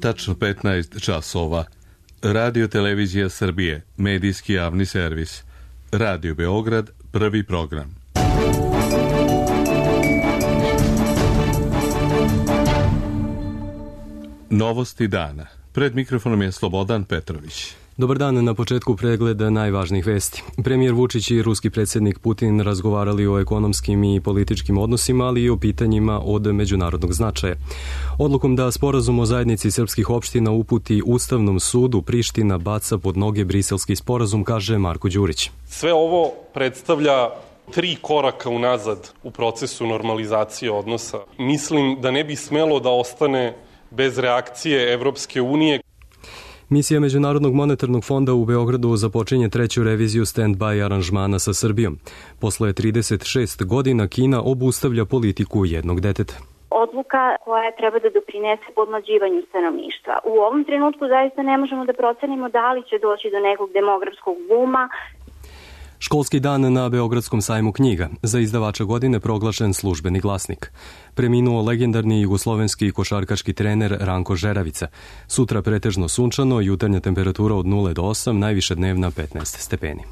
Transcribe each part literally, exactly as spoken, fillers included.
tačno petnaest časova. Radio Televizija Srbije, medijski javni servis. Radio Beograd, prvi program. Novosti dana. Pred mikrofonom je Slobodan Petrović. Dobar dan, na početku pregleda najvažnijih vesti. Premijer Vučić i ruski predsjednik Putin razgovarali o ekonomskim i političkim odnosima, ali i o pitanjima od međunarodnog značaja. Odlukom da sporazum o zajednici srpskih opština uputi Ustavnom sudu, Priština baca pod noge briselski sporazum, kaže Marko Đurić. Sve ovo predstavlja tri koraka unazad u procesu normalizacije odnosa. Mislim da ne bi smelo da ostane bez reakcije Evropske unije. Misija Međunarodnog monetarnog fonda u Beogradu započinje treću reviziju stand-by aranžmana sa Srbijom. Posle trideset šest godina Kina obustavlja politiku jednog deteta. Odluka koja treba da doprinese podmlađivanju stanovništva. U ovom trenutku zaista ne možemo da procenimo da li će doći do nekog demografskog buma. Školski dan na Beogradskom sajmu knjiga. Za izdavača godine proglašen Službeni glasnik. Preminuo legendarni jugoslovenski košarkaški trener Ranko Žeravica. Sutra pretežno sunčano, jutarnja temperatura od nula do osam, najviša dnevna petnaest stepeni.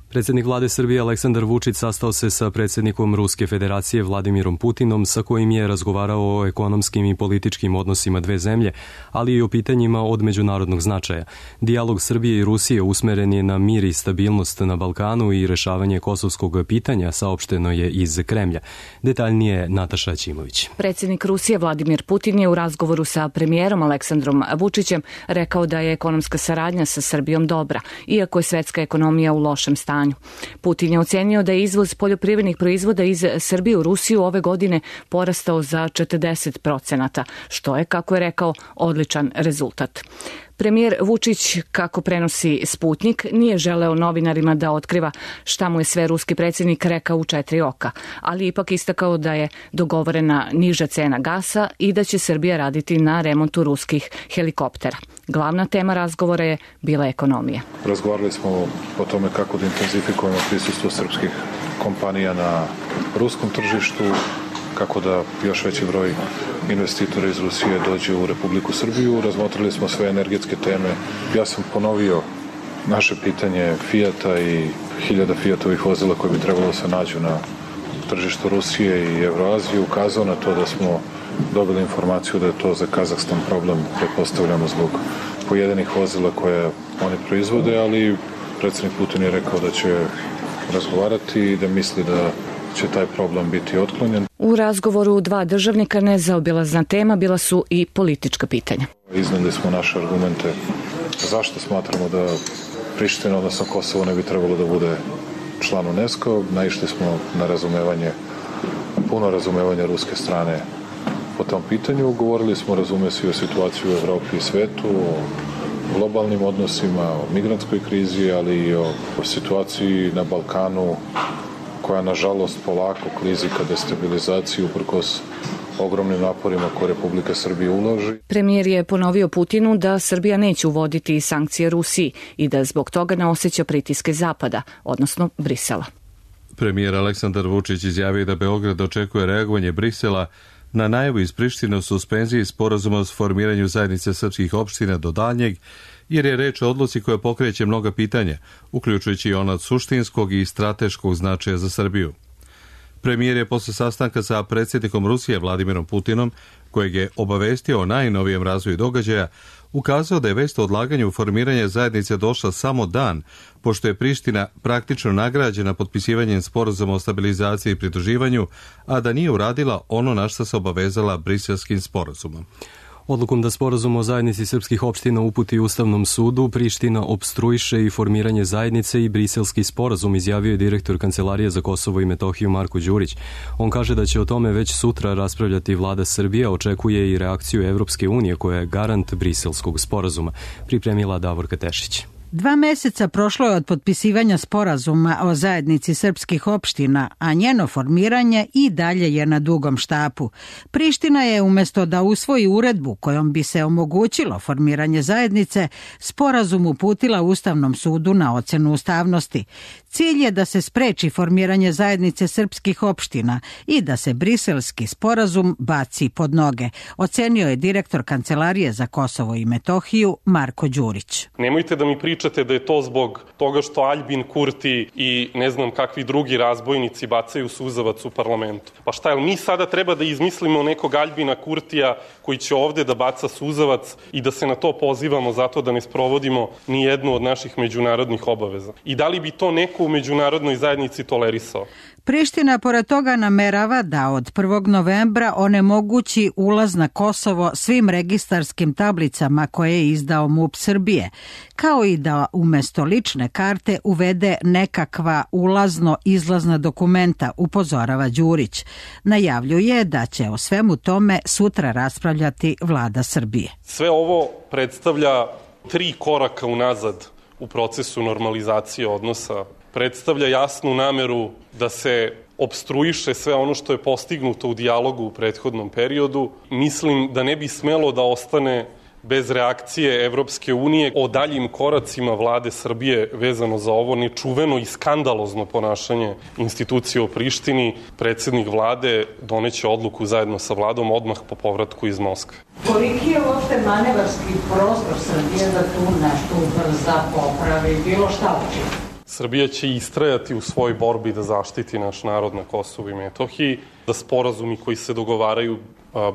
Predsjednik vlade Srbije Aleksandar Vučić sastao se sa predsjednikom Ruske federacije Vladimirom Putinom, sa kojim je razgovarao o ekonomskim i političkim odnosima dve zemlje, ali i o pitanjima od međunarodnog značaja. Dijalog Srbije i Rusije usmeren je na mir i stabilnost na Balkanu i rešavanje kosovskog pitanja, saopšteno je iz Kremlja. Detaljnije Nataša Ćimović. Predsjednik Rusije Vladimir Putin je u razgovoru sa premijerom Aleksandrom Vučićem rekao da je ekonomska saradnja sa Srbijom dobra, iako je svetska ekonomija u lošem stanju. Putin je ocenio da je izvoz poljoprivrednih proizvoda iz Srbije u Rusiju ove godine porastao za četrdeset procenata, što je, kako je rekao, odličan rezultat. Premijer Vučić, kako prenosi Sputnik, nije želeo novinarima da otkriva šta mu je sve ruski predsjednik rekao u četiri oka, ali ipak istakao da je dogovorena niža cena gasa i da će Srbija raditi na remontu ruskih helikoptera. Glavna tema razgovora je bila ekonomija. Razgovarali smo o tome kako da intenzifikujemo prisustvo srpskih kompanija na ruskom tržištu, kako da još veći broj investitora iz Rusije dođe u Republiku Srbiju. Razmotrili smo sve energetske teme. Ja sam ponovio naše pitanje Fijata i hiljada Fijatovih vozila koje bi trebalo se nađu na tržištu Rusije i Evroazije. Ukazao na to da smo dobili informaciju da je to za Kazahstan problem, pretpostavljamo zbog pojedinih vozila koje oni proizvode, ali predsjednik Putin je rekao da će razgovarati i da misli da će taj problem biti otklonjen. U razgovoru dva državnika nezaobilazna tema bila su i politička pitanja. Izneli smo naše argumente zašto smatramo da Priština, odnosno Kosovo, ne bi trebalo da bude član UNESCO. Naišli smo na razumevanje, puno razumevanja ruske strane po tom pitanju. Govorili smo, razume se, o situaciji u Evropi i svetu, o globalnim odnosima, o migrantskoj krizi, ali i o situaciji na Balkanu, koja nažalost polako klizi ka destabilizaciji uprkos ogromnim naporima koje Republika Srbija uloži. Premijer je ponovio Putinu da Srbija neće uvoditi sankcije Rusiji i da zbog toga ne osjeća pritiske Zapada, odnosno Brisela. Premijer Aleksandar Vučić izjavio da Beograd očekuje reagovanje Brisela na najavu iz Prištine o suspenziji sporazuma o formiranju zajednice srpskih opština do daljnjeg, jer je reč o odluci koja pokreće mnoga pitanja, uključujući i ona od suštinskog i strateškog značaja za Srbiju. Premijer je posle sastanka sa predsjednikom Rusije Vladimirom Putinom, kojeg je obavestio o najnovijem razvoju događaja, ukazao da je vest o odlaganju formiranja zajednice došla samo dan, pošto je Priština praktično nagrađena potpisivanjem sporazuma o stabilizaciji i pridruživanju, a da nije uradila ono na što se obavezala Briselskim sporazumom. Odlukom da sporazum o zajednici srpskih opština uputi Ustavnom sudu, Priština opstruiše i formiranje zajednice i briselski sporazum, izjavio je direktor Kancelarije za Kosovo i Metohiju Marko Đurić. On kaže da će o tome već sutra raspravljati vlada Srbije, očekuje i reakciju Evropske unije koja je garant briselskog sporazuma. Pripremila Davorka Tešić. Dva meseca prošlo je od potpisivanja sporazuma o zajednici srpskih opština, a njeno formiranje i dalje je na dugom štapu. Priština je umjesto da usvoji uredbu kojom bi se omogućilo formiranje zajednice, sporazum uputila Ustavnom sudu na ocenu ustavnosti. Cilj je da se spreči formiranje zajednice srpskih opština i da se briselski sporazum baci pod noge, ocenio je direktor Kancelarije za Kosovo i Metohiju Marko Đurić. Nemojte da mi pričate da je to zbog toga što Aljbin Kurti i ne znam kakvi drugi razbojnici bacaju suzavac u parlamentu. Pa šta, jel mi sada treba da izmislimo nekog Aljbina Kurtija koji će ovde da baca suzavac i da se na to pozivamo zato da ne sprovodimo ni jednu od naših međunarodnih obaveza? I da li bi to neko u međunarodnoj zajednici tolerisao? Priština pored toga namerava da od prvog novembra onemogući ulaz na Kosovo svim registarskim tablicama koje je izdao MUP Srbije, kao i da umesto lične karte uvede nekakva ulazno-izlazna dokumenta, upozorava Đurić. Najavljuje da će o svemu tome sutra raspravljati vlada Srbije. Sve ovo predstavlja tri koraka unazad u procesu normalizacije odnosa, predstavlja jasnu nameru da se opstruiše sve ono što je postignuto u dijalogu u prethodnom periodu. Mislim da ne bi smelo da ostane bez reakcije Evropske unije o daljim koracima vlade Srbije vezano za ovo nečuveno i skandalozno ponašanje institucije u Prištini. Predsednik vlade doneće odluku zajedno sa vladom odmah po povratku iz Moskve. Koliki je uopšte manevarski prostor Srbije da tu nešto ubrza, popravi, bilo šta učini? Srbija će istrajati u svojoj borbi da zaštiti naš narod na Kosovu i Metohiji, da sporazumi koji se dogovaraju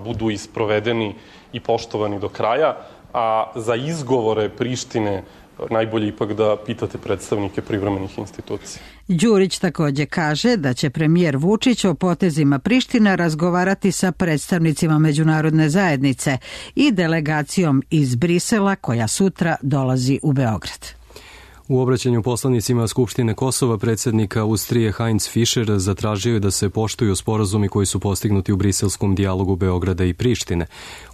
budu isprovedeni i poštovani do kraja, a za izgovore Prištine najbolje ipak da pitate predstavnike privremenih institucija. Đurić takođe kaže da će premijer Vučić o potezima Prištine razgovarati sa predstavnicima međunarodne zajednice i delegacijom iz Brisela koja sutra dolazi u Beograd. U obraćanju poslanicima Skupštine Kosova predsjednik Austrije Heinz Fischer zatražio je da se poštuju sporazumi koji su postignuti u briselskom dijalogu Beograda i Prištine.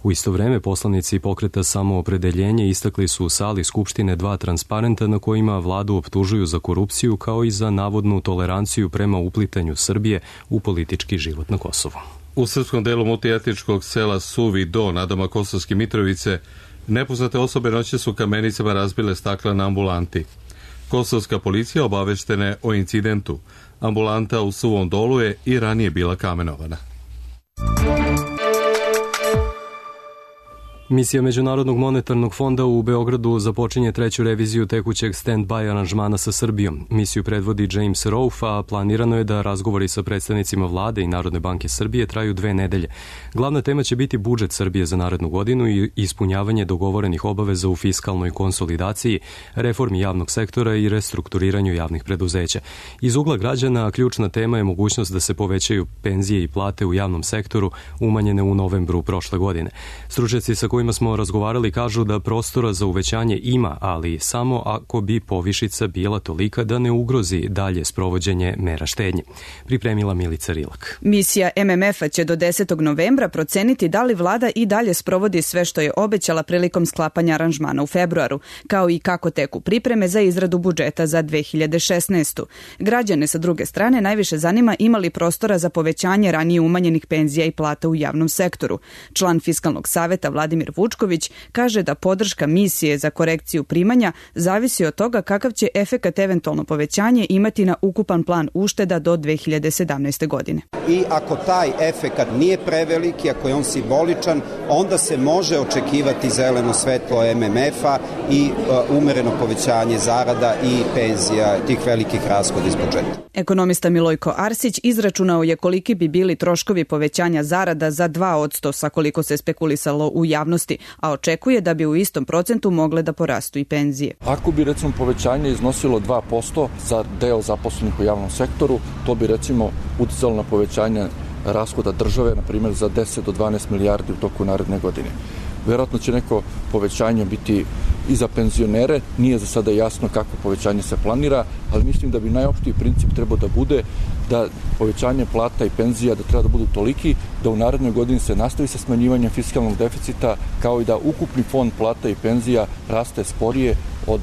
U isto vreme poslanici pokreta Samoopredeljenje istakli su u sali Skupštine dva transparenta na kojima vladu optužuju za korupciju kao i za navodnu toleranciju prema uplitanju Srbije u politički život na Kosovu. U srpskom delu multietničkog sela Suvi Do nadama Kosovske Mitrovice nepoznate osobe noće su kamenicama razbile stakla na ambulanti. Kosovska policija obaveštena je o incidentu. Ambulanta u Suvom Dolu je i ranije bila kamenovana. Misija Međunarodnog monetarnog fonda u Beogradu započinje treću reviziju tekućeg stand-by aranžmana sa Srbijom. Misiju predvodi James Rolfe, a planirano je da razgovori sa predstavnicima vlade i Narodne banke Srbije traju dve nedelje. Glavna tema će biti budžet Srbije za narednu godinu i ispunjavanje dogovorenih obaveza u fiskalnoj konsolidaciji, reformi javnog sektora i restrukturiranju javnih preduzeća. Iz ugla građana ključna tema je mogućnost da se povećaju penzije i plate u javnom sektoru, umanjene u novembru prošle godine. Stručnjaci sa kojima smo razgovarali kažu da prostora za uvećanje ima, ali samo ako bi povišica bila tolika da ne ugrozi dalje sprovođenje mera štednje. Pripremila Milica Rilak. Misija M M F-a će do desetog novembra proceniti da li vlada i dalje sprovodi sve što je obećala prilikom sklapanja aranžmana u februaru, kao i kako teku pripreme za izradu budžeta za dve hiljade šesnaestu. Građane sa druge strane najviše zanima ima li prostora za povećanje ranije umanjenih penzija i plata u javnom sektoru. Član Fiskalnog saveta Vladimir Vučković kaže da podrška misije za korekciju primanja zavisi od toga kakav će efekat eventualno povećanje imati na ukupan plan ušteda do dve hiljade sedamnaeste. godine. I ako taj efekat nije prevelik i ako je on simboličan, onda se može očekivati zeleno svetlo M M F-a i uh, umereno povećanje zarada i penzija tih velikih rashoda iz budžeta. Ekonomista Milojko Arsić izračunao je koliki bi bili troškovi povećanja zarada za dva odsto sa koliko se spekulisalo u javnosti, a očekuje da bi u istom procentu mogle da porastu i penzije. Ako bi recimo povećanje iznosilo dva posto za deo zaposlenih u javnom sektoru, to bi recimo uticalo na povećanje rashoda države, na primjer za deset do dvanaest milijardi u toku naredne godine. Vjerojatno će neko povećanje biti i za penzionere, nije za sada jasno kako povećanje se planira, ali mislim da bi najopštiji princip trebao da bude da povećanje plata i penzija da treba da budu toliki da u narednoj godini se nastavi sa smanjivanjem fiskalnog deficita, kao i da ukupni fond plata i penzija raste sporije od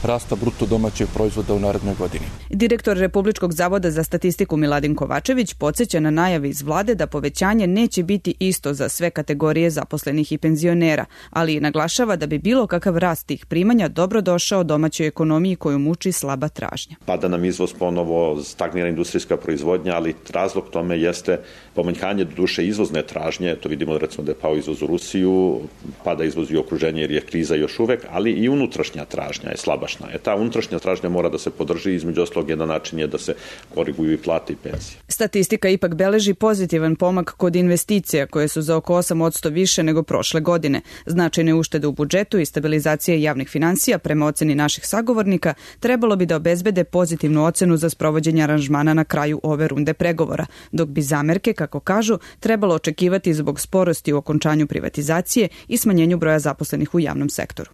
rasta bruto domaćeg proizvoda u narednoj godini. Direktor Republičkog zavoda za statistiku Miladin Kovačević podsjeća na najave iz vlade da povećanje neće biti isto za sve kategorije zaposlenih i penzionera, ali i naglašava da bi bilo kakav rast tih primanja dobro došao domaćoj ekonomiji koju muči slaba tražnja. Pada nam izvoz ponovo, stagnira industrijska proizvodnja, ali razlog tome jeste pomanjkanje do duše izvozne tražnje. To vidimo recimo da je pao izvoz u Rusiju, pada izvoz i okruženje jer je kriza još uvek, ali i unutrašnja tražnja je slabašna. E ta unutrašnja tražnja mora da se podrži, između ostalog jedan način je da se koriguju i plate i penzije. Statistika ipak beleži pozitivan pomak kod investicija koje su za oko osam posto više nego prošle godine. Značajne uštede u budžetu i stabilizacije javnih finansija prema oceni naših sagovornika trebalo bi da obezbede pozitivnu ocenu za sprovođenje aranžmana na kraju ove runde pregovora, dok bi zamerke, kako kažu, trebalo očekivati zbog sporosti u okončanju privatizacije i smanjenju broja zaposlenih u javnom sektoru.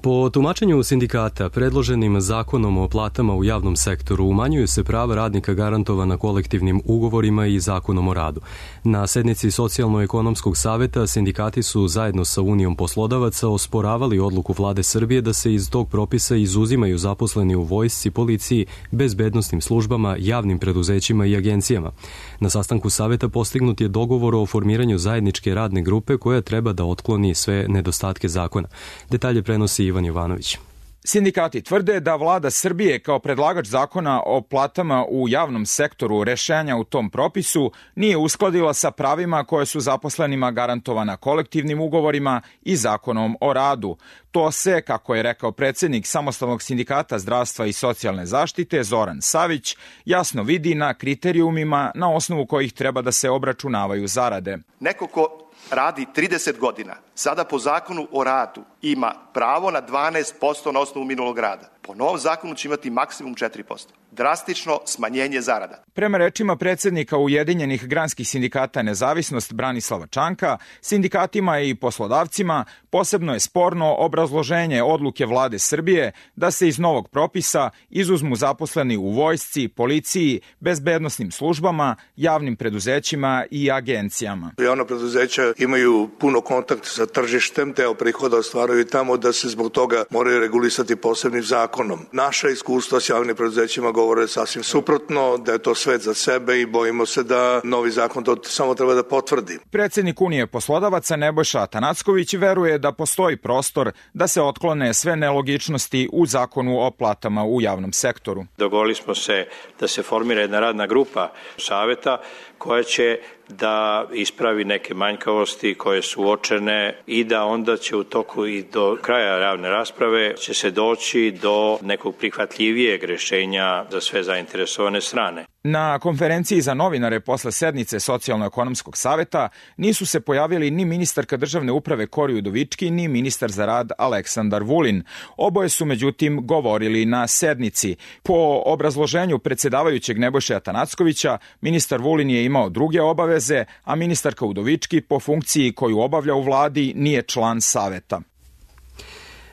Po tumačenju sindikata, predloženim zakonom o platama u javnom sektoru umanjuju se prava radnika garantovana kolektivnim ugovorima i zakonom o radu. Na sednici Socijalno-ekonomskog saveta sindikati su zajedno sa Unijom poslodavaca osporavali odluku vlade Srbije da se iz tog propisa izuzimaju zaposleni u vojsci, policiji, bezbednosnim službama, javnim preduzećima i agencijama. Na sastanku saveta postignut je dogovor o formiranju zajedničke radne grupe koja treba da otkloni sve nedostatke zakona. Detalje prenosi Ivan Jovanović. Sindikati tvrde da vlada Srbije kao predlagač zakona o platama u javnom sektoru rešenja u tom propisu nije uskladila sa pravima koje su zaposlenima garantovana kolektivnim ugovorima i zakonom o radu. To se, kako je rekao predsjednik Samostalnog sindikata zdravstva i socijalne zaštite Zoran Savić, jasno vidi na kriterijumima na osnovu kojih treba da se obračunavaju zarade. Neko ko radi trideset godina, sada po zakonu o radu ima pravo na dvanaest posto na osnovu minulog rada. Po novom zakonu će imati maksimum četiri posto. Drastično smanjenje zarada. Prema rečima predsjednika Ujedinjenih granskih sindikata Nezavisnost Branislava Čanka, sindikatima i poslodavcima posebno je sporno obrazloženje odluke vlade Srbije da se iz novog propisa izuzmu zaposleni u vojsci, policiji, bezbednosnim službama, javnim preduzećima i agencijama. Javna preduzeća imaju puno kontakt sa tržištem, deo prihoda ostvaraju tamo da se zbog toga moraju regulisati posebnim zakonom. Naša iskustva s javnim preduzećima govore sasvim suprotno, da je to svet za sebe i bojimo se da novi zakon to samo treba da potvrdi. Predsjednik Unije poslodavaca Nebojša Atanacković veruje da postoji prostor da se otklone sve nelogičnosti u zakonu o platama u javnom sektoru. Dogovorili smo se da se formira jedna radna grupa saveta koja će da ispravi neke manjkavosti koje su uočene i da onda će u toku i do kraja javne rasprave će se doći do nekog prihvatljivijeg rešenja za sve zainteresovane strane. Na konferenciji za novinare posle sednice Socijalno-ekonomskog saveta nisu se pojavili ni ministarka državne uprave Kori Udovički, ni ministar za rad Aleksandar Vulin. Oboje su međutim govorili na sednici. Po obrazloženju predsjedavajućeg Nebojše Atanackovića, ministar Vulin je imao druge obaveze, a ministarka Udovički po funkciji koju obavlja u vladi nije član saveta.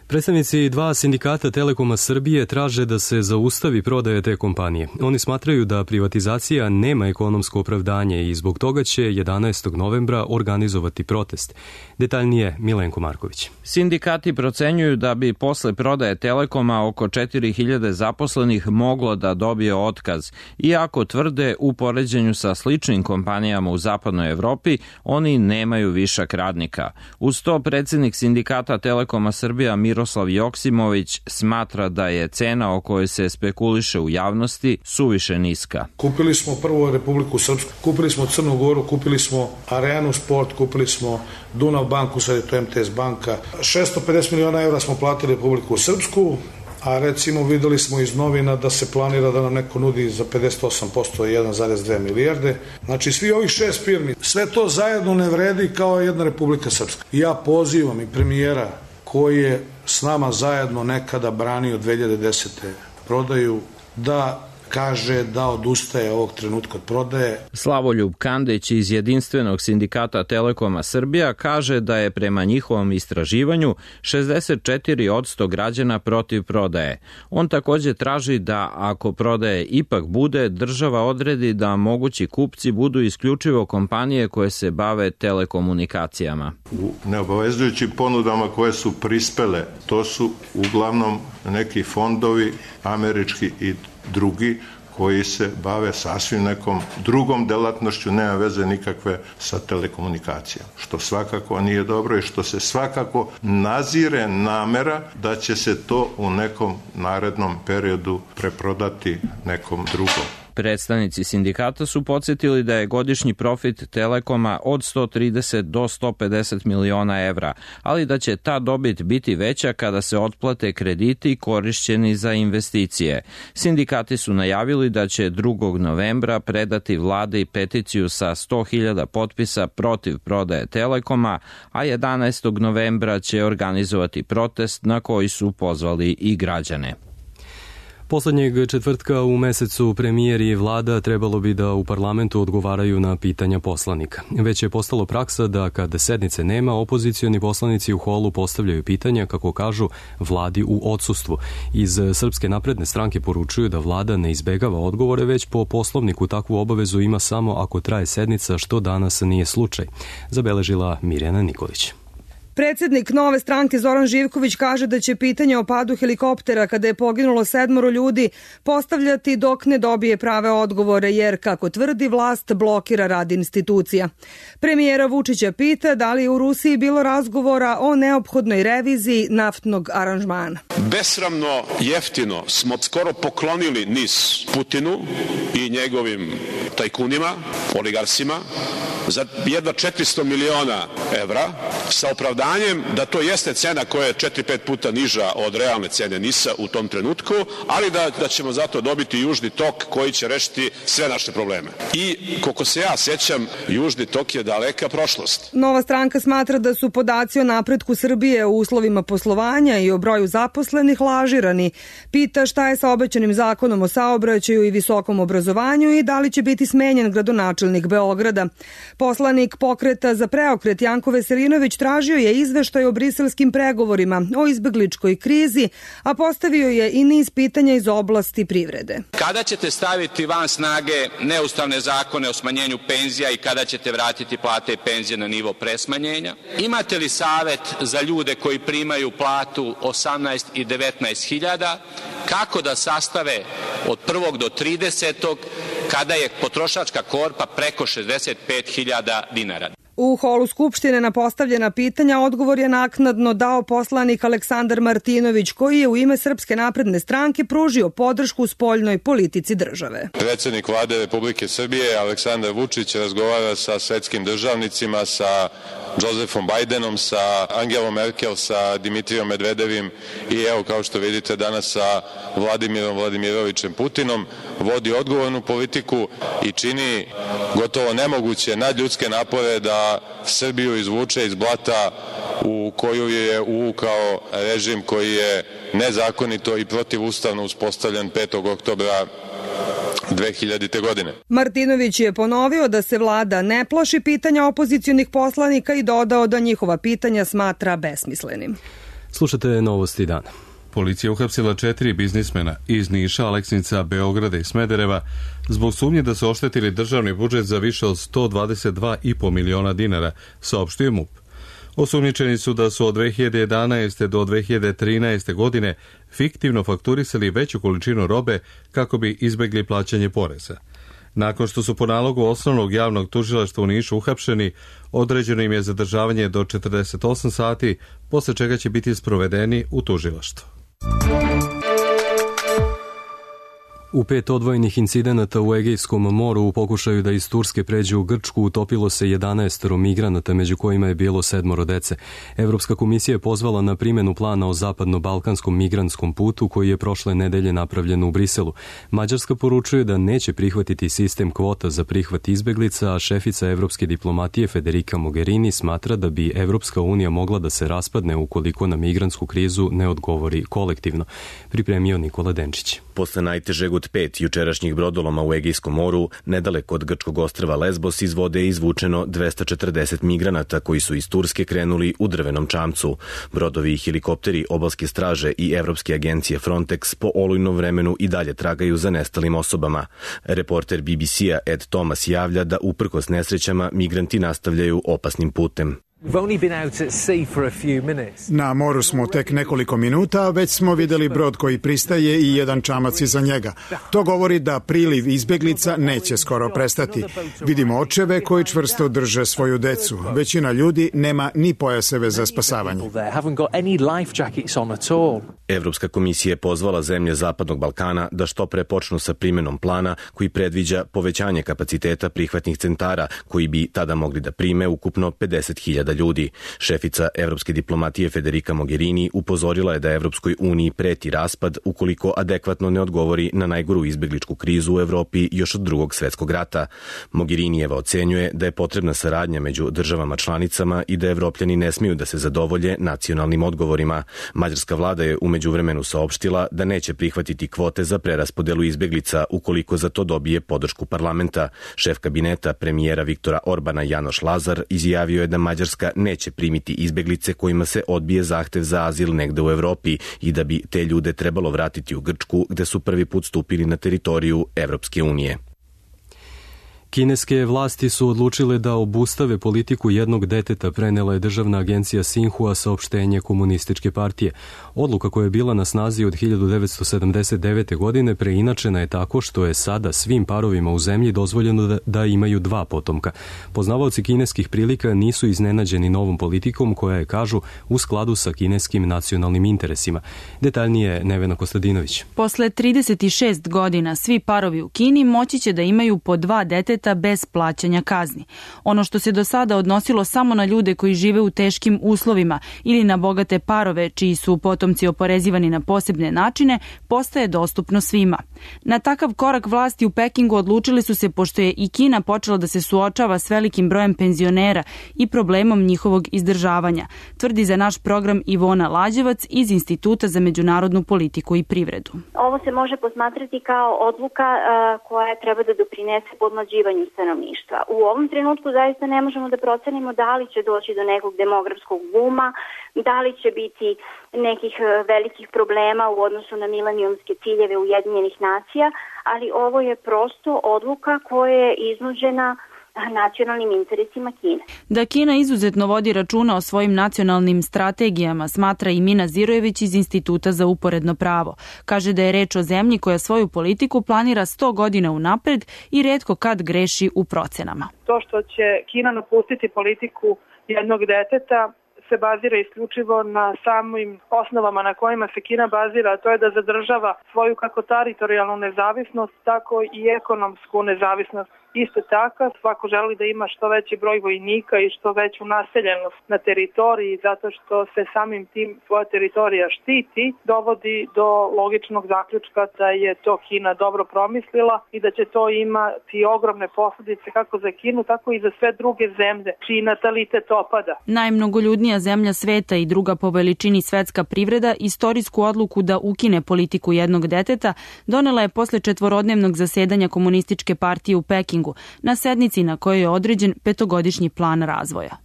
Predstavnici dva sindikata Telekoma Srbije traže da se zaustavi prodaja te kompanije. Oni smatraju da privatizacija nema ekonomsko opravdanje i zbog toga će jedanaestog novembra organizovati protest. Detaljnije Milenko Marković. Sindikati procenjuju da bi posle prodaje Telekoma oko četiri hiljade zaposlenih moglo da dobije otkaz. Iako tvrde u poređenju sa sličnim kompanijama u zapadnoj Evropi, oni nemaju višak radnika. Uz to predsjednik sindikata Telekoma Srbija Miro Miroslav Joksimović smatra da je cena o kojoj se spekuliše u javnosti suviše niska. Kupili smo prvo Republiku Srpsku, kupili smo Crnu Goru, kupili smo Arenu Sport, kupili smo Dunav banku, sad je to M T S banka. šesto pedeset miliona evra smo platili Republiku Srpsku, a recimo videli smo iz novina da se planira da nam neko nudi za pedeset osam posto jedan zarez dve milijarde. Znači svi ovih šest firmi, sve to zajedno ne vredi kao jedna Republika Srpska. Ja pozivam i premijera koji je s nama zajedno nekada branio dve hiljade desete prodaju, da kaže da odustaje ovog trenutka od prodaje. Slavoljub Kandić iz Jedinstvenog sindikata Telekoma Srbija kaže da je prema njihovom istraživanju šezdeset četiri posto građana protiv prodaje. On takođe traži da ako prodaje ipak bude, država odredi da mogući kupci budu isključivo kompanije koje se bave telekomunikacijama. U neobavezujućim ponudama koje su prispele, to su uglavnom neki fondovi, američki i drugi, koji se bave sasvim nekom drugom delatnošću, nema veze nikakve sa telekomunikacijama, što svakako nije dobro i što se svakako nazire namera da će se to u nekom narednom periodu preprodati nekom drugom. Predstavnici sindikata su podsjetili da je godišnji profit Telekoma od sto trideset do sto pedeset miliona evra, ali da će ta dobit biti veća kada se otplate krediti korišćeni za investicije. Sindikati su najavili da će drugog novembra predati vladi peticiju sa sto hiljada potpisa protiv prodaje Telekoma, a jedanaestog novembra će organizovati protest na koji su pozvali i građane. Poslednjeg četvrtka u mesecu premijer i vlada trebalo bi da u parlamentu odgovaraju na pitanja poslanika. Već je postalo praksa da kada sednice nema, opozicioni poslanici u holu postavljaju pitanja, kako kažu, vladi u odsustvu. Iz Srpske napredne stranke poručuju da vlada ne izbegava odgovore, već po poslovniku takvu obavezu ima samo ako traje sednica, što danas nije slučaj, zabeležila Mirjana Nikolić. Predsednik Nove stranke Zoran Živković kaže da će pitanje o padu helikoptera kada je poginulo sedmoro ljudi postavljati dok ne dobije prave odgovore, jer, kako tvrdi, vlast blokira rad institucija. Premijera Vučića pita da li je u Rusiji bilo razgovora o neophodnoj reviziji naftnog aranžmana. Besramno jeftino smo skoro poklonili NIS Putinu i njegovim tajkunima, oligarsima, za jedva četiristo miliona evra, sa opravdanjem da to jeste cena koja je četiri pet puta niža od realne cene NIS-a u tom trenutku, ali da, da ćemo zato dobiti Južni tok koji će rešiti sve naše probleme. I koliko se ja sećam, Južni tok je daleka prošlost. Nova stranka smatra da su podaci o napretku Srbije u uslovima poslovanja i o broju zaposlenih lažirani. Pita šta je sa obećanim zakonom o saobraćaju i visokom obrazovanju i da li će biti smenjen gradonačelnik Beograda. Poslanik Pokreta za preokret Janko Veselinović tražio je izveštaj o briselskim pregovorima o izbegličkoj krizi, a postavio je i niz pitanja iz oblasti privrede. Kada ćete staviti van snage neustavne zakone o smanjenju penzija i kada ćete vratiti plate i penzije na nivo pre smanjenja? Imate li savet za ljude koji primaju platu osamnaest i devetnaest hiljada, kako da sastave od prvog do tridesetog kada je potrošačka korpa preko šezdeset pet hiljada dinara? U holu Skupštine na postavljena pitanja odgovor je naknadno dao poslanik Aleksandar Martinović, koji je u ime Srpske napredne stranke pružio podršku spoljnoj politici države. Predsednik vlade Republike Srbije Aleksandar Vučić razgovara sa svetskim državnicima, sa Josefom Bajdenom, sa Angelom Merkel, sa Dimitrijom Medvedevim i evo, kao što vidite, danas sa Vladimirom Vladimirovićem Putinom. Vodi odgovornu politiku i čini gotovo nemoguće nadljudske napore da Srbiju izvuče iz blata u koju je uvukao režim koji je nezakonito i protivustavno uspostavljen petog oktobra dve hiljadite. godine. Martinović je ponovio da se vlada ne plaši pitanja opozicionih poslanika i dodao da njihova pitanja smatra besmislenim. Slušate Novosti dana. Policija uhapsila četiri biznismena iz Niša, Aleksinca, Beograda i Smedereva zbog sumnje da su oštetili državni budžet za više od sto dvadeset dva i po miliona dinara, saopštio MUP. Osumnjičeni su da su od dve hiljade jedanaeste. do dve hiljade trinaeste. godine fiktivno fakturisali veću količinu robe kako bi izbegli plaćanje poreza. Nakon što su po nalogu osnovnog javnog tužilaštva u Nišu uhapšeni, određeno im je zadržavanje do četrdeset osam sati, posle čega će biti sprovedeni u tužilaštvo. U pet odvojenih incidenata u Egejskom moru u pokušaju da iz Turske pređe u Grčku utopilo se jedanaest migranata, među kojima je bilo sedmoro dece. Evropska komisija je pozvala na primjenu plana o zapadno-balkanskom migrantskom putu koji je prošle nedelje napravljen u Briselu. Mađarska poručuje da neće prihvatiti sistem kvota za prihvat izbeglica, a šefica evropske diplomatije Federica Mogherini smatra da bi Evropska unija mogla da se raspadne ukoliko na migrantsku krizu ne odgovori kolektivno. Pripremio Nikola Denčić. Posle najtežeg od pet jučerašnjih brodoloma u Egejskom moru, nedaleko od grčkog ostrva Lesbos iz vode je izvučeno dvesta četrdeset migranata koji su iz Turske krenuli u drvenom čamcu. Brodovi i helikopteri obalske straže i Evropske agencije Frontex po olujnom vremenu i dalje tragaju za nestalim osobama. Reporter B B C-a Ed Thomas javlja da uprkos nesrećama migranti nastavljaju opasnim putem. Na moru smo tek nekoliko minuta, a već smo videli brod koji pristaje i jedan čamac iza njega. To govori da priliv izbeglica neće skoro prestati. Vidimo očeve koji čvrsto drže svoju decu. Većina ljudi nema ni pojaseve za spasavanje. Evropska komisija je pozvala zemlje Zapadnog Balkana da što pre počnu sa primenom plana koji predviđa povećanje kapaciteta prihvatnih centara koji bi tada mogli da prime ukupno pedeset hiljada ljudi. Šefica evropske diplomatije Federica Mogherini upozorila je da Evropskoj uniji preti raspad ukoliko adekvatno ne odgovori na najgoru izbegličku krizu u Evropi još od drugog svetskog rata. Mogherinijeva ocenjuje da je potrebna saradnja među državama članicama i da Evropljani ne smiju da se zadovolje nacionalnim odgovorima. Mađarska vlada je umeđu vremenu saopštila da neće prihvatiti kvote za preraspodelu izbeglica ukoliko za to dobije podršku parlamenta. Šef kabineta premijera Viktora Orbana Janoš Lazar izjavio je da Mađarska neće primiti izbeglice kojima se odbije zahtev za azil negde u Evropi i da bi te ljude trebalo vratiti u Grčku gde su prvi put stupili na teritoriju Evropske unije. Kineske vlasti su odlučile da obustave politiku jednog deteta, prenela je državna agencija Sinhua saopštenje komunističke partije. Odluka koja je bila na snazi od hiljadu devetsto sedamdeset devete. godine preinačena je tako što je sada svim parovima u zemlji dozvoljeno da, da imaju dva potomka. Poznavaoci kineskih prilika nisu iznenađeni novom politikom koja je, kažu, u skladu sa kineskim nacionalnim interesima. Detaljnije Nevena Kostadinović. Posle trideset šest godina svi parovi u Kini moći će da imaju po dva deteta bez plaćanja kazni. Ono što se do sada odnosilo samo na ljude koji žive u teškim uslovima ili na bogate parove čiji su potomci oporezivani na posebne načine, postaje dostupno svima. Na takav korak vlasti u Pekingu odlučili su se pošto je i Kina počela da se suočava s velikim brojem penzionera i problemom njihovog izdržavanja, tvrdi za naš program Ivona Lađevac iz Instituta za međunarodnu politiku i privredu. Ovo se može posmatrati kao odluka uh, koja treba da doprinese podmlađivanju stanovništva. U ovom trenutku zaista ne možemo da procenimo da li će doći do nekog demografskog buma, da li će biti nekih velikih problema u odnosu na milenijumske ciljeve Ujedinjenih nacija, ali ovo je prosto odluka koja je iznuđena nacionalnim interesima Kine. Da Kina izuzetno vodi računa o svojim nacionalnim strategijama, smatra i Mina Zirojević iz Instituta za uporedno pravo. Kaže da je reč o zemlji koja svoju politiku planira sto godina unapred i retko kad greši u procenama. To što će Kina napustiti politiku jednog deteta se bazira isključivo na samim osnovama na kojima se Kina bazira, a to je da zadržava svoju kako teritorijalnu nezavisnost, tako i ekonomsku nezavisnost. Isto tako, svako želi da ima što veći broj vojnika i što veću naseljenost na teritoriji, zato što se samim tim svoja teritorija štiti, dovodi do logičnog zaključka da je to Kina dobro promislila i da će to imati ogromne posljedice kako za Kinu, tako i za sve druge zemlje, čiji natalitet opada. Najmnogoljudnija zemlja sveta i druga po veličini svetska privreda istorijsku odluku da ukine politiku jednog deteta donela je posle četvorodnevnog zasedanja Komunističke partije u Pekingu, na sednici na kojoj je određen petogodišnji plan razvoja.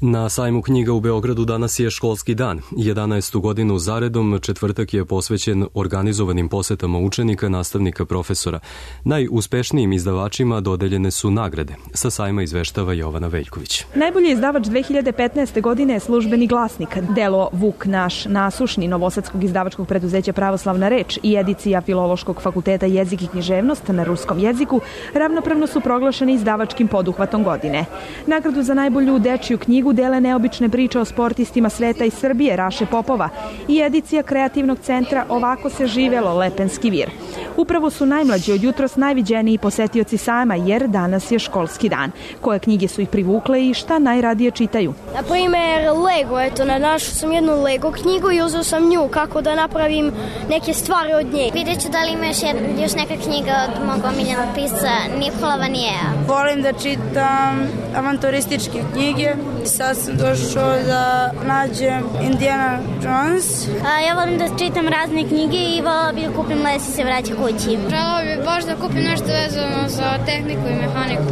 Na sajmu knjiga u Beogradu danas je školski dan. jedanaestu godinu zaredom četvrtak je posvećen organizovanim posetama učenika, nastavnika, profesora. Najuspešnijim izdavačima dodeljene su nagrade. Sa sajma izveštava Jovana Veljković. Najbolji izdavač dve hiljade petnaeste. godine je Službeni glasnik. Delo Vuk naš nasušni novosadskog izdavačkog preduzeća Pravoslavna reč i edicija Filološkog fakulteta jezik i književnost na ruskom jeziku ravnopravno su proglašeni izdavačkim poduhvatom godine. Nagradu za najbolju dečiju knjigu dele neobične priče o sportistima sveta i Srbije Raše Popova i edicija kreativnog centra Ovako se živelo Lepenski vir. Upravo su najmlađi od jutros najviđeniji posetioci sajma jer danas je školski dan. Koje knjige su ih privukle i šta najradije čitaju? Na primer Lego, eto, našao sam jednu Lego knjigu i uzeo sam nju kako da napravim neke stvari od nje. Vidjet ću da li ima još, jedna, još neka knjiga od mog omiljenog pisca Nikola Vanijeja. Volim da čitam avanturističke knjige Sad sam došao da nađem Indiana Jones. A, ja volim da čitam razne knjige i volim bi da kupim les i se vraća kući. Želao bi baš da kupim nešto vezano za tehniku i mehaniku.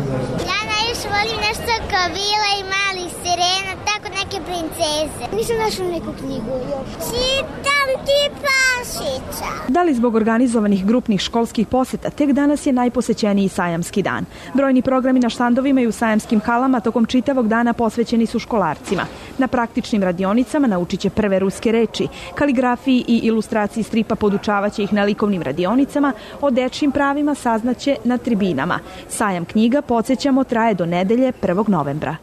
Ja najviše volim nešto kao Vila i Mali sirena, tako neke princeze. Nisam našla neku knjigu još. Čitam ti Pašića. Da li zbog organizovanih grupnih školskih poseta, tek danas je najposećeniji sajamski dan. Brojni programi na štandovima i u sajamskim halama tokom čitavog dana posvećeni su školarcima. Na praktičnim radionicama naučit će prve ruske reči, kaligrafiji i ilustraciji stripa podučavaće ih na likovnim radionicama, o dečjim pravima saznaće na tribinama. Sajam knjiga, podsjećamo, traje do nedelje prvog novembra.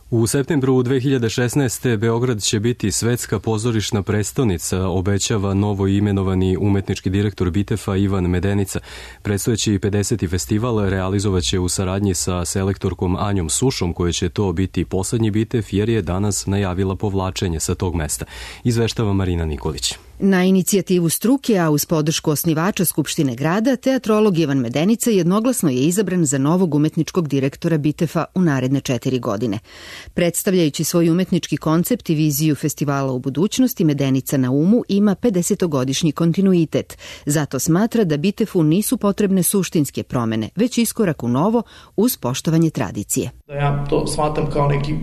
U septembru dve hiljade šesnaeste. Beograd će biti svetska pozorišna prestonica, obećava novo imenovani umetnički direktor Bitefa Ivan Medenica. Predstojeći pedeseti festival realizovaće u saradnji sa selektorkom Anjom Sušom, koji će to biti poslednji Bitef jer je danas najavila povlačenje sa tog mesta. Izveštava Marina Nikolić. Na inicijativu struke, a uz podršku osnivača Skupštine grada, teatrolog Ivan Medenica jednoglasno je izabran za novog umetničkog direktora Bitefa u naredne četiri godine. Predstavljajući svoj umetnički koncept i viziju festivala u budućnosti, Medenica na umu ima pedesetogodišnji kontinuitet. Zato smatra da Bitefu nisu potrebne suštinske promene, već iskorak u novo uz poštovanje tradicije. Ja to smatram kao neki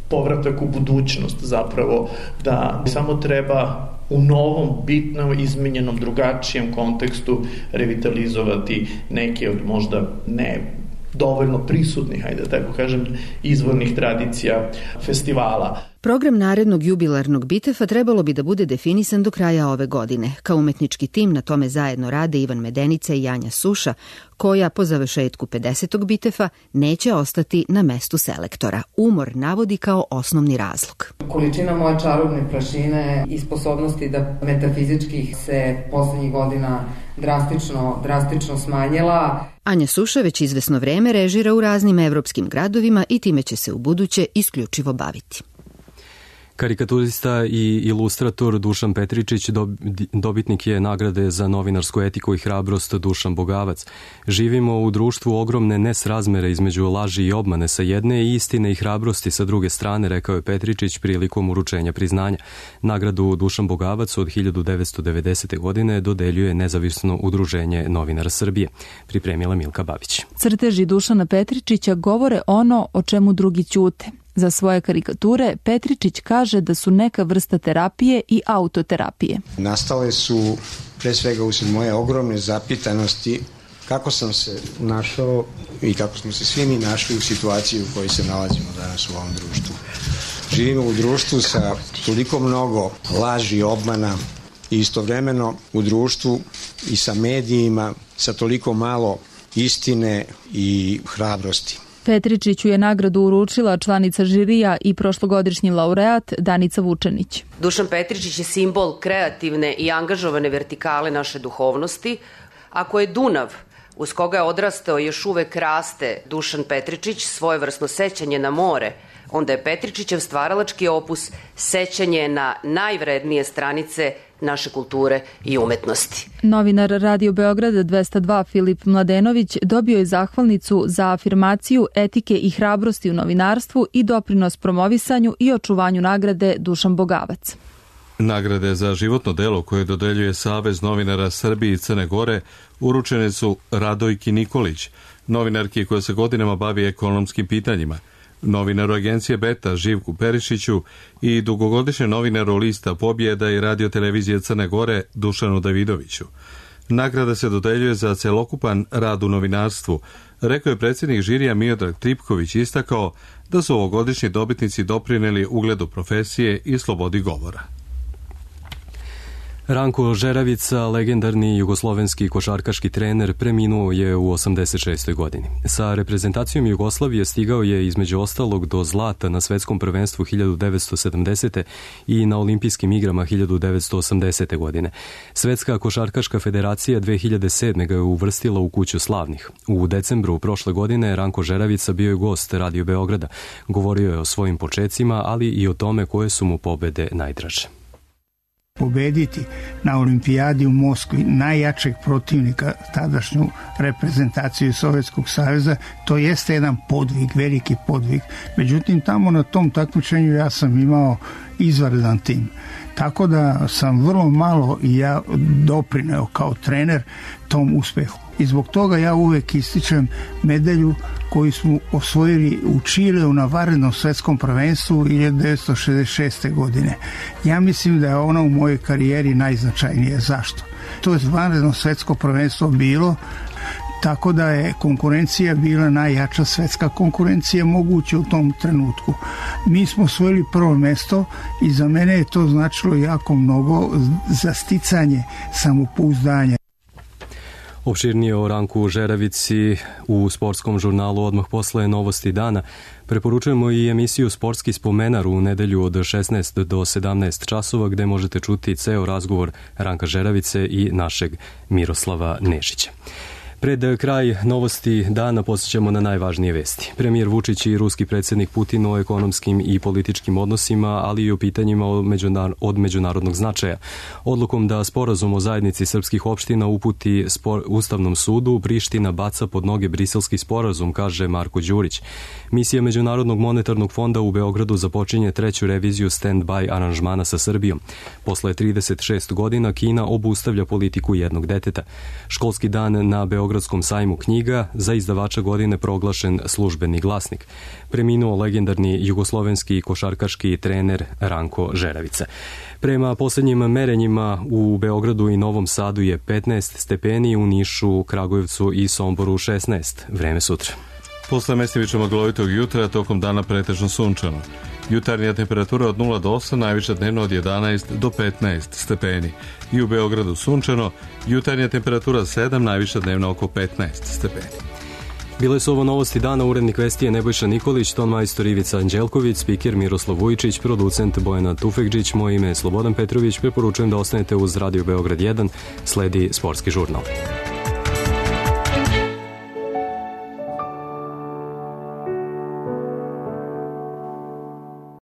povratak u budućnost zapravo, da samo treba u novom, bitnom, izmenjenom, drugačijem kontekstu revitalizovati neke od možda ne dovoljno prisutnih, hajde da tako kažem, izvornih tradicija festivala. Program narednog jubilarnog Bitefa trebalo bi da bude definisan do kraja ove godine. Kao umetnički tim na tome zajedno rade Ivan Medenica i Anja Suša, koja po završetku pedesetog Bitefa neće ostati na mestu selektora. Umor navodi kao osnovni razlog. Količina moje čarobne prašine i sposobnosti da metafizički se poslednjih godina drastično, drastično smanjila. Anja Suša već izvesno vreme režira u raznim evropskim gradovima i time će se u buduće isključivo baviti. Karikaturista i ilustrator Dušan Petričić dobitnik je nagrade za novinarsku etiku i hrabrost Dušan Bogavac. Živimo u društvu ogromne nesrazmere između laži i obmane sa jedne i istine i hrabrosti sa druge strane, rekao je Petričić prilikom uručenja priznanja. Nagradu Dušan Bogavac od hiljadu devetsto devedesete. godine dodeljuje nezavisno udruženje novinara Srbije. Pripremila Milka Babić. Crteži Dušana Petričića govore ono o čemu drugi ćute. Za svoje karikature Petričić kaže da su neka vrsta terapije i autoterapije. Nastale su pre svega usled moje ogromne zapitanosti kako sam se našao i kako smo se svi mi našli u situaciji u kojoj se nalazimo danas u ovom društvu. Živimo u društvu sa toliko mnogo laži i obmana i istovremeno u društvu i sa medijima sa toliko malo istine i hrabrosti. Petričiću je nagradu uručila članica žirija i prošlogodišnji laureat Danica Vučenić. Dušan Petričić je simbol kreativne i angažovane vertikale naše duhovnosti. Ako je Dunav, uz koga je odrastao i još uvek raste Dušan Petričić, svojevrsno sećanje na more, onda je Petričićev stvaralački opus sećanje na najvrednije stranice naše kulture i umetnosti. Novinar Radio Beograda dvesta dva Filip Mladenović dobio je zahvalnicu za afirmaciju etike i hrabrosti u novinarstvu i doprinos promovisanju i očuvanju nagrade Dušan Bogavac. Nagrade za životno delo koje dodeljuje Savez novinara Srbije i Crne Gore uručene su Radojki Nikolić, novinarki koja se godinama bavi ekonomskim pitanjima, novinaru agencije Beta Živku Perišiću i dugogodišnjem novinaru lista Pobjeda i radio televizije Crne Gore Dušanu Davidoviću. Nagrada se dodeljuje za celokupan rad u novinarstvu, rekao je predsjednik žirija Miodrag Tripković, istakao da su ovogodišnji dobitnici doprineli ugledu profesije i slobodi govora. Ranko Žeravica, legendarni jugoslovenski košarkaški trener, preminuo je u osamdeset šestoj. godini. Sa reprezentacijom Jugoslavije stigao je između ostalog do zlata na svetskom prvenstvu hiljadu devetsto sedamdesete. i na olimpijskim igrama hiljadu devetsto osamdesete. godine. Svetska košarkaška federacija dve hiljade sedme. ga je uvrstila u kuću slavnih. U decembru prošle godine Ranko Žeravica bio je gost Radio Beograda. Govorio je o svojim počecima, ali i o tome koje su mu pobede najdraže. pobediti na olimpijadi u Moskvi najjačeg protivnika, tadašnju reprezentaciju Sovjetskog saveza, to jeste jedan podvig, veliki podvig. Međutim, tamo na tom takmičenju ja sam imao izvanredan tim. Tako da sam vrlo malo i ja doprineo kao trener tom uspehu. I zbog toga ja uvek ističem medalju koju smo osvojili u Čileu na vanrednom svetskom prvenstvu hiljadu devetsto šezdeset šeste. godine. Ja mislim da je ona u mojoj karijeri najznačajnije. Zašto? To je vanredno svetsko prvenstvo bilo, tako da je konkurencija bila najjača svetska konkurencija moguća u tom trenutku. Mi smo osvojili prvo mesto i za mene je to značilo jako mnogo za sticanje samopouzdanja. Opširnije o Ranku Žeravici u sportskom žurnalu odmah posle Novosti dana. Preporučujemo i emisiju Sportski spomenar u nedelju od šesnaest do sedamnaest časova, gde možete čuti ceo razgovor Ranka Žeravice i našeg Miroslava Nešića. Pred kraj Novosti dana posjećamo na najvažnije vesti. Premijer Vučić i ruski predsjednik Putin o ekonomskim i političkim odnosima, ali i o pitanjima od međunarodnog značaja. Odlukom da sporazum o zajednici srpskih opština uputi spor, Ustavnom sudu, Priština baca pod noge briselski sporazum, kaže Marko Đurić. Misija Međunarodnog monetarnog fonda u Beogradu započinje treću reviziju stand-by aranžmana sa Srbijom. Posle trideset šest godina Kina obustavlja politiku jednog deteta. Školski dan na Beogradskom sajmu knjiga, za izdavača godine proglašen Službeni glasnik. Preminuo legendarni jugoslovenski košarkaški trener Ranko Žeravica. Prema posljednjim merenjima u Beogradu i Novom Sadu je petnaest stepeni, u Nišu, Kragujevcu i Somboru šesnaest. Vreme sutra. Posle mestimično maglovitog jutra, tokom dana pretežno sunčano. Jutarnja temperatura od nula do osam, najviša dnevno od jedanaest do petnaest stepeni. I u Beogradu sunčano, jutarnja temperatura sedam, najviša dnevno oko petnaest stepeni. Bile su ovo Novosti dana, urednik vesti je Nebojša Nikolić, ton majstor Ivica Anđelković, spiker Miroslav Vujčić, producent Bojana Tufekđić, moje ime je Slobodan Petrović, preporučujem da ostanete uz Radio Beograd jedan, sledi sportski žurnal.